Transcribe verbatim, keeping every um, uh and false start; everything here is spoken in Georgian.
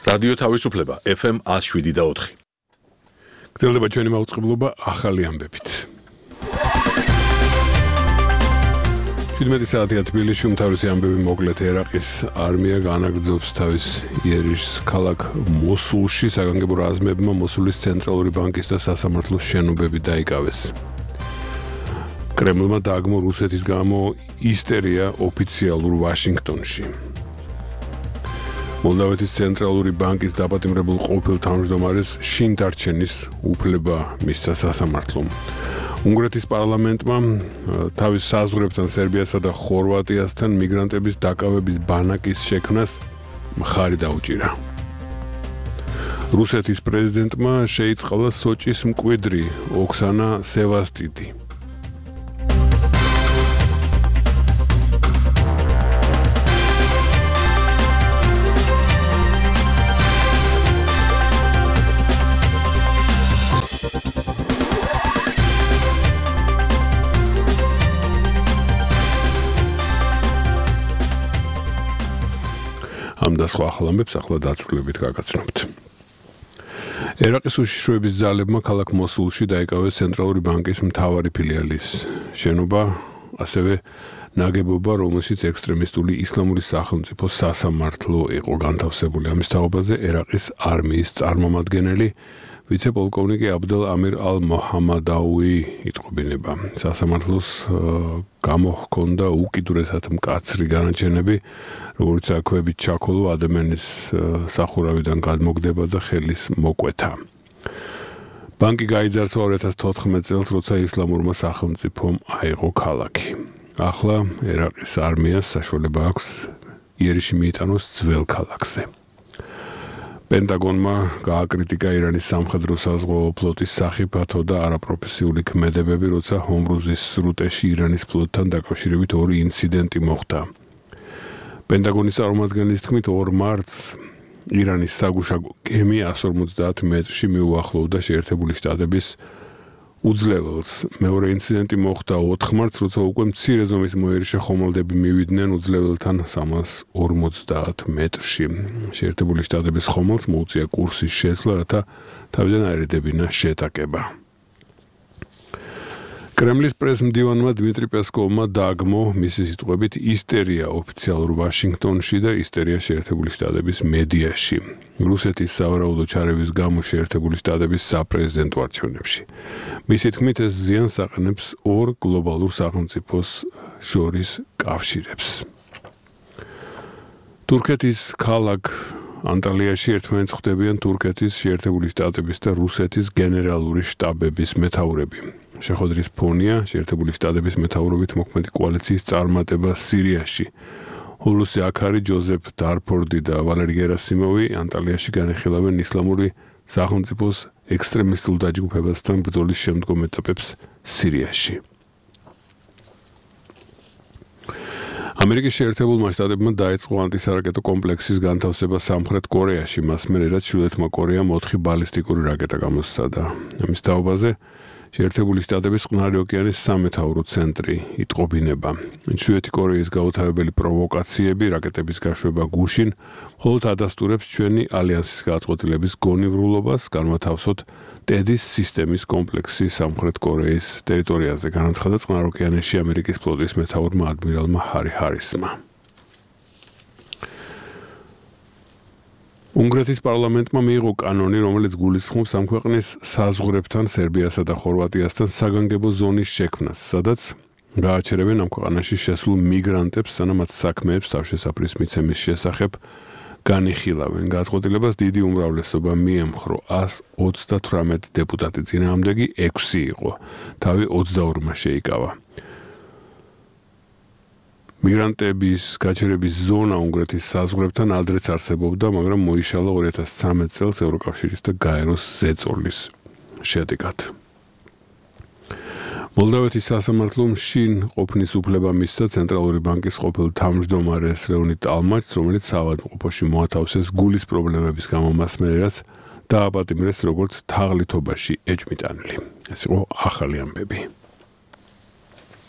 რადიო თავისუფლება F M one oh seven და four. გრძელდება ჩვენი მაუწყებლობა ახალი ამბებით. შვიდმეტი საათია თბილისში უმთავრესი ამბები მოკლედ ერაყის არმია განაგრძობს თავის იერიშს ქალაქ მოსულში საგანგებო რაზმებმა მოსულის ცენტრალური ბანკის და სასამართლოს შენობები დაიკავეს. კრემლმა დააგმო რუსეთის გამო ისტერია ოფიციალურ ვაშინგტონში. მოლდავეთის ცენტრალური ბანკის დაპატიმრებულ ყოფილ თავმჯდომარეს შინ დარჩენის უფლება მისცა სასამართლომ. უნგრეთის პარლამენტმა თავის საზღვრებთან სერბიასა და ხორვატიასთან მიგრანტების დაკავების ბანაკის შექმნას მხარი დაუჭირა. რუსეთის პრეზიდენტმა შეიწყალა სოჭის მკვიდრი ოქსანა სევასტიდი. ამ და სხვა ახალ ამბებს ახლა დაწვრილებით გაგაცნობთ. ერაყის უშიშროების ძალებმა ქალაქ მოსულში დაიკავეს ცენტრალური ბანკის მთავარი ფილიალის შენობა, ასევე ნაგებობა, რომელშიც ექსტრემისტული ისლამური სახელმწიფო სასამართლო იყო განთავსებული. ამის თაობაზე ერაყის არმიის წარმომადგენელი ვიცე-პოლკოვნიკი აბდელ ამირ ალ-მოჰამადაუი იტყობინება. სასამართლოს გამოჰქონდა უკიდურესად მკაცრი განაჩენები, როგორც აქვეებით ჩაქოლო ადამიანის სახურავიდან გადმოგდება და ხელის მოკვეთა. ბანკი გაიძარცვა two thousand fourteen წელს, როცა ისლამურმა სახელმწიფომ აიღო ქალაქი. ახლა ერაყის არმიას საშუალება აქვს იერიში მიიტანოს ძველ ქალაქზე. პენტაგონმა გააკრიტიკა ირანის სამხედრო საზღვაო ფლოტის სახიფათო და არაპროფესიული ქმედებები, როცა ჰომრუზის სრუტეში ირანის ფლოტთან დაკავშირებით ორი ინციდენტი მოხდა. პენტაგონის წარმომადგენლის თქმით, ორ მარტს ირანის საგუშაგო გემი one forty მეტრში მიუახლოვდა შეერთებული შტატების უძლეველს. მეორე ინციდენტი მოხდა four მარტს, როცა უკვე მცირე ზომის მოერიშე ხომალდები მივიდნენ უძლეველთან three forty მეტრში. შეერთებული შტატების ხომალდს მოუწია კურსის შეცვლა, რათა თავიდან აერიდებინა შეტაკება. კრემლის პრესმდივანმა დმიტრი პესკოვმა დააგმო მისი სიტყვებით ისტერია ოფიციალურ ვაშინგტონში და ისტერია შეერთებული შტატების მედიაში. რუსეთის სავარაუდო ჩარევის გამო შეერთებული შტატების საპრეზიდენტო არჩევნებში. მისი თქმით, ეს ზიანს აყენებს ორ გლობალურ სახელმწიფოს შორის კავშირებს. თურქეთის ქალაქ ანტალიაში ერთმანეთს ხვდებიან თურქეთის, შეერთებული შტატების და რუსეთის გენერალური შტაბების მეთაურები. შეხვედრის ფონია შეერთებული შტატების მეთაურობით მოქმედი კოალიციის წარმატება სირიაში. ჰულუსი აქარი, ჯოზეფ დარფორდი და ვალერი გერასიმოვი ანტალიაში განიხილავენ ისლამური სახელმწიფოს ექსტრემისტულ დაჯგუფებასთან ბრძოლის შემდგომ ეტაპებს სირიაში. ამერიკის შეერთებულმა შტატებმა დაიწყო ანტისარაკეტო კომპლექსის განთავსება სამხრეთ კორეაში, მას მერე რაც ჩრდილოეთმა კორეამ ოთხი ბალისტიკური რაკეტა გამოსცადა. ამის თაობაზე შეერთებული შტატების წყნარი ოკეანის სამეთაურო ცენტრი იტყობინება. ჩრდილოეთი კორეის გაუთავებელი პროვოკაციები, რაკეტების გაშვება გუშინ, მხოლოდ ადასტურებს ჩვენი ალიანსის გაწყობილების გონივრულობას, განვათავსოთ ტედის სისტემის კომპლექსი სამხრეთ კორეის ტერიტორიაზე, განაცხადა წყნარ ოკეანეში ამერიკის ფლოტის მეთაურმა ადმირალმა ჰარი ჰარისმა. უნგრეთის პარლამენტმა მიიღო კანონი, რომელიც გულისხმობს ამ ქვეყნის საზღვრებთან სერბიასა და ხორვატიასთან საგანგებო ზონის შექმნას, სადაც გააჩერებენ ამ ქვეყანაში შესულ მიგრანტებს, სანამ მათ საქმეებს თავშესაფრის მიცემის შესახებ განიხილავენ. გადაწყვეტილებას დიდი უმრავლესობა მიემხრო one hundred thirty-eight დეპუტატი, წინააღმდეგი six იყო, თავი twenty-two-მა შეიკავა. მიგრანტების გაჩერების ზონა უნგრეთის საზღვრებთან ადრეც არსებობდა, მაგრამ მოიშალა two thousand thirteen წელს ევროკავშირის და გაეროს ზეწოლის შედეგად. მოლდავეთის სასამართლომ შინ ყოფნის უფლება მისცა ცენტრალური ბანკის ყოფილ თავმჯდომარეს ლეონიდ ტალმაჩს, რომელიც საავადმყოფოში მოათავსეს გულის პრობლემების გამო, მას მერე რაც დააპატიმრეს როგორც თაღლითობაში ეჭვმიტანილი. ეს იყო ახალი ამბები.